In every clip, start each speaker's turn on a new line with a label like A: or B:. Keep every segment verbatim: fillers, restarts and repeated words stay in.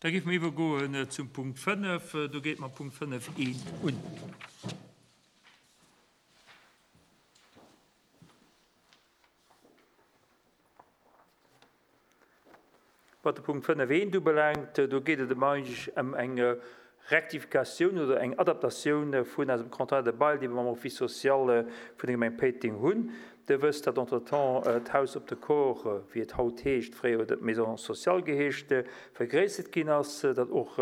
A: Da géife mer iwwergoen zum Punkt fënnef. Do geet mam Punkt fënnef eent un. Wat de Punkt fënnef eent ubelaangt, do geet et ëm eigentlech ëm eng Rectificatioun oder eng Adaptatioun vun eisem Contrat de bail, dee mer mam Office social vun der Gemeng Péiteng hunn. Dir wësst, datt entretemps d'Haus op de Corps, wéi et haut heescht, fréier huet et Maison sociale geheescht, vergréissert ginn ass, datt och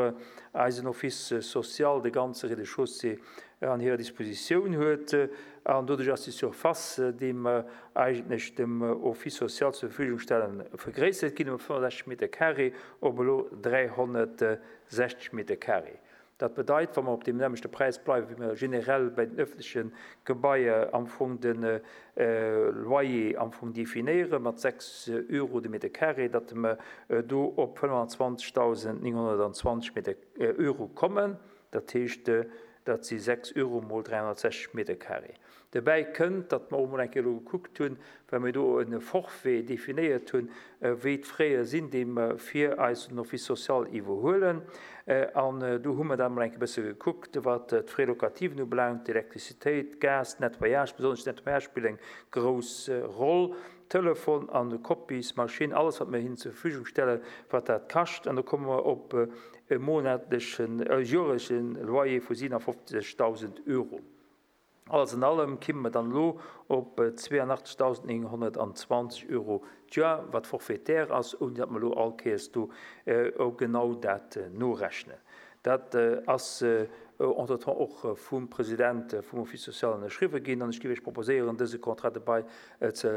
A: eisen Office social de ganze Rez-de-chaussée an hirer Dispositioun huet. An doduerch ass déi Surface, déi mer eigentlech dem Office social zur Verfügung stellen, vergréissert ginn ëm fënnefundsechzeg Meter carré op elo dräihonnertsechzeg Meter carré. Dat bedeit, wa mer op deem nämmlechte Präis bleiwen, wéi mer generell bei den öffentleche Gebaier am Fong de Loyer am Fong definéieren, mat sechs Euro de Meter carré, datt mer do op fënnfanzwanzegdausendnénghonnertanzwanzeg Meter Euro kommen. Dat heescht, dat si sechs Euro mol dräihonnertsechzeg Meter carré. Dobäi kënnt, datt mer och emol eng Kéier elo gekuckt hunn, well mir do e Forfait definéiert hunn, wéi d'Fraie sinn, déi mer fir eisen Office social iwwerhuelen. An do hu mer dann emol eng Kéier e bësse gekuckt, wat d'Frais locativen ubelaangt, d'Elektrizitéit, d'Gas, d'Nettoyage, besonnesch d'Nettoyage spillt eng grouss Roll, Telefon an Kopiesmaschinn, alles wat mir hinnen zur Verfügung stellen, wat dat kascht. An do komme mer op e monatlechen, e joerlechen Loyer vu siewenundfünfzigtausend Euro. Alles in allem kimme mer dann elo op zweiundachtzigtausendneunhundertzwanzig Euro d'Joer, wat forfaitaire ass, ouni datt mer elo all Kéiers do genau dat norechnen. Dat ass entretemps och vum President vum Office social ënnerschriwwen ginn, an ech géif iech proposéieren, dëse Contrat de bail ze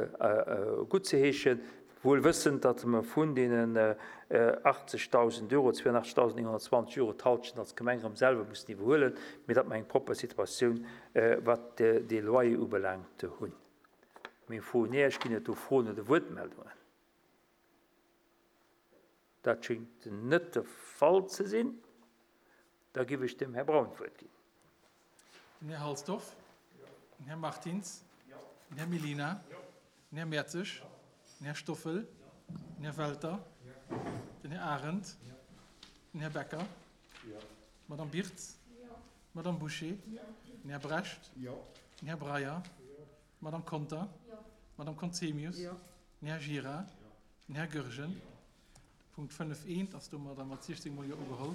A: guttzeheeschen, wuel wëssend, datt mer vun deenen achtzigtausend Euro, zweiundachtzigtausendneunhundertzwanzig Euro d'Halschent als Gemeng erëm selwer mussen iwwerhuelen, mee datt mer eng propper Situatioun, wat de Loyer ubelaangt, hunn. Meng Fro un Iech, ginn et do Froen oder Wuertmeldungen? Dat schéngt net de Fall ze sinn. Da gebe ich dem Herrn Braun d'Wuert ginn.
B: Den Här Halsdorf, den Här Martins, den Här Mellina, den Här Mertzig, den Här Stoffel, den Här Welter, den Här Arendt, den Här Becker, d'Madame Birtz, d'Madame Bouché, den Här Brecht, den Här Breyer, d'Madame Conter, d'Madame Conzemius, den Här Gira, den Här Goergen. Punkt fënnef eent ass domadder mat siechzéng Mol Jo ugeholl.